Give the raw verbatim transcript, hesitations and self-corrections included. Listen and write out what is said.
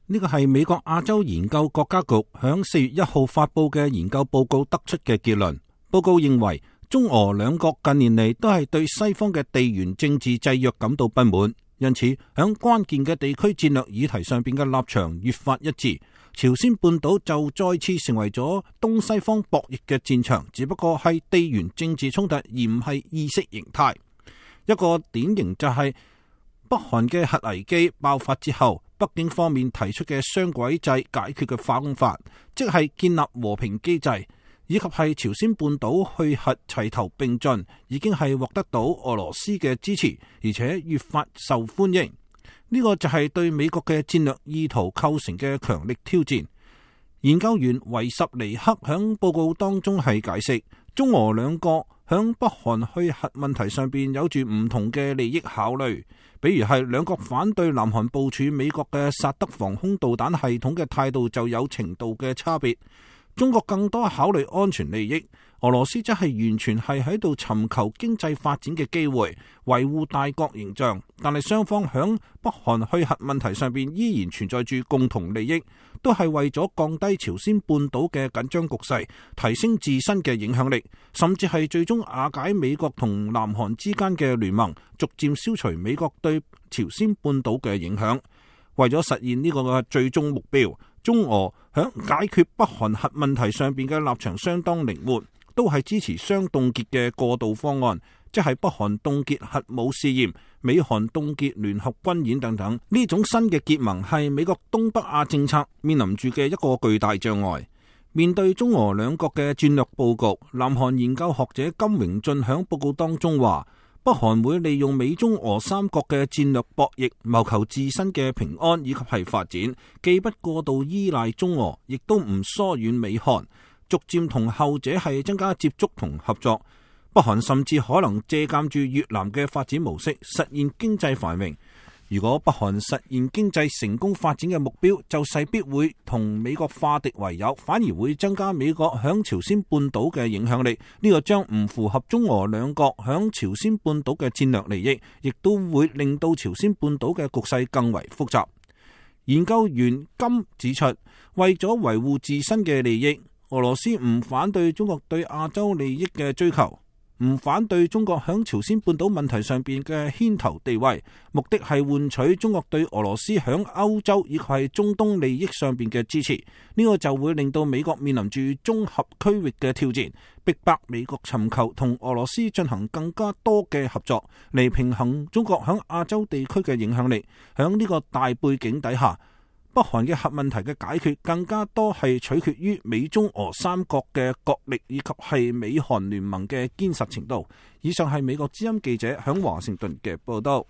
呢個係美國亞洲研究國家局響四月一號發佈嘅研究報告得出嘅結論。報告認為，中俄兩國近年嚟都係對西方嘅地緣政治制約感到不滿，因此響關鍵嘅地區戰略議題上邊嘅立場越發一致。朝鮮半島就再次成為咗東西方博弈嘅戰場，只不過係地緣政治衝突，而唔係意識形態。一個典型就係北韓嘅核危機爆發之後，北京方面提出嘅雙軌制解決嘅方法，即係建立和平機制，以及係朝鮮半島去核齊頭並進，已經係獲得到俄羅斯嘅支持，而且越發受歡迎。呢、這個就係對美國嘅戰略意圖構成嘅強力挑戰。研究員維什尼克響報告當中係解釋，中俄兩國響北韓去核問題上邊有住唔同嘅利益考慮，比如係兩國反對南韓部署美國嘅薩德防空導彈系統嘅態度就有程度嘅差別。中國更多考慮安全利益，俄羅斯則係完全係喺度尋求經濟發展嘅機會，維護大國形象。但係雙方響北韓去核問題上邊依然存在住共同利益，都係為咗降低朝鮮半島嘅緊張局勢，提升自身嘅影響力，甚至係最終瓦解美國同南韓之間嘅聯盟，逐漸消除美國對朝鮮半島嘅影響。為咗實現呢個嘅最終目標，中俄響解決北韓核問題上邊嘅立場相當靈活，都係支持雙凍結嘅過渡方案，即係北韓凍結核武試驗、美韓凍結聯合軍演等等。呢種新嘅結盟係美國東北亞政策面臨住嘅一個巨大障礙。面對中俄兩國嘅戰略佈局，南韓研究學者金榮俊響報告當中話，北韓會利用美中俄三國嘅戰略博弈，謀求自身嘅平安以及係發展，既不過度依賴中俄，亦都唔疏遠美韓，逐漸同後者係增加接觸同合作。北韓甚至可能借鑒住越南嘅發展模式，實現經濟繁榮。如果北韓實現經濟成功發展嘅目標，就勢必會同美國化敵為友，反而會增加美國響朝鮮半島嘅影響力。呢個將唔符合中俄兩國響朝鮮半島嘅戰略利益，亦都會令到朝鮮半島嘅局勢更為複雜。研究員金指出，為咗維護自身嘅利益，俄羅斯唔反對中國對亞洲利益嘅追求，唔反對中國響朝鮮半島問題上邊嘅牽頭地位，目的係換取中國對俄羅斯響歐洲以及係中東利益上邊嘅支持。呢個就會令到美國面臨住綜合區域嘅挑戰，逼迫美國尋求同俄羅斯進行更加多嘅合作，嚟平衡中國響亞洲地區嘅影響力。響呢個大背景底下，北韓嘅核問題嘅解決更加多係取決於美中俄三國嘅國力以及係美韓聯盟嘅堅實程度。以上係美國之音記者響華盛頓嘅報道。